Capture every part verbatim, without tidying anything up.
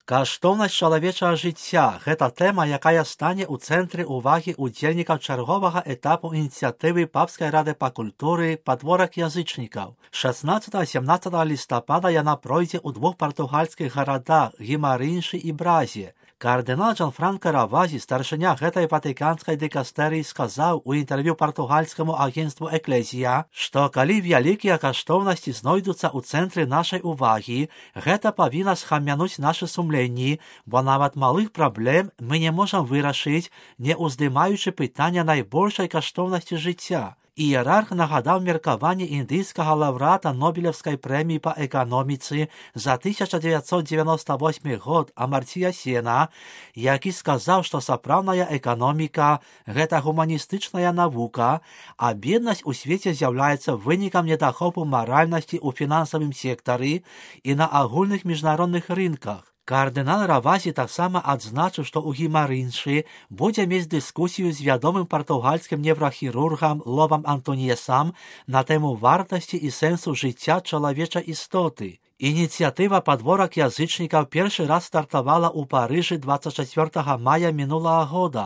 Каштоўнасць чалавечага жыцця – гэта тэма, якая стане ў цэнтры ўвагі ўдзельнікаў чарговага этапу ініцыятывы Папскай рады па культуры «Падворак язычнікаў». шаснаццатага-сямнаццатага лістапада яна пройдзе ў двух партугальскіх гарадах – Гімарыншы і Бразе. Кардынал Джанфранка Равазі, старшыня гэтай ватыканскай дыкастэрыі, сказаў у інтэрв'ю партугальскаму агенцтву «Эклезія», што калі вялікія каштоўнасці знойдуцца ў цэнтры нашай увагі, гэта павінна схамянуць нашы сумленні, бо нават малых праблем мы не можам вырашыць, не ўздымаючы пытання найбольшай каштоўнасці жыцця. Іерарх нагадаў меркаванне індыйскага лаўрэата Нобелевскай прэміі па эканоміцы за тысяча дзевяцьсот дзевяносто восьмы год Амарція Сена, які сказаў, што сапраўдная эканоміка – гэта гуманістычная навука, а беднасць у свеце з'яўляецца вынікам недахопу маральнасці ў фінансавым сектары і на агульных міжнародных рынках. Кардынал Равазі таксама адзначыў, што ў Гімарыншы будзе мець дыскусію з вядомым партугальскім неврахірургам Ловам Антоніесам на тэму вартасці і сэнсу жыцця чалавечай істоты. Ініцыятыва «Падворак язычнікаў» першы раз стартавала ў Парыжы дваццаць чацвёртага мая мінулага года.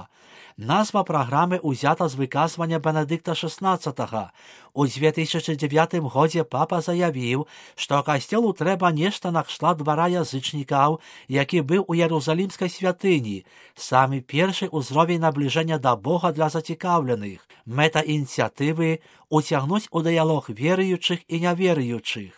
Назва праграмы ўзята з выказвання Бенедыкта шаснаццатага. У дзве тысячы дзевятым годзе папа заявіў, што касцёлу трэба нешта накшталт двара язычнікаў, які быў у Ярузалімскай святыні, самы першы ўзровень набліжэння да Бога для зацікаўленых. Мэта ініцыятывы – уцягнуць у дыялог веруючых і няверуючых.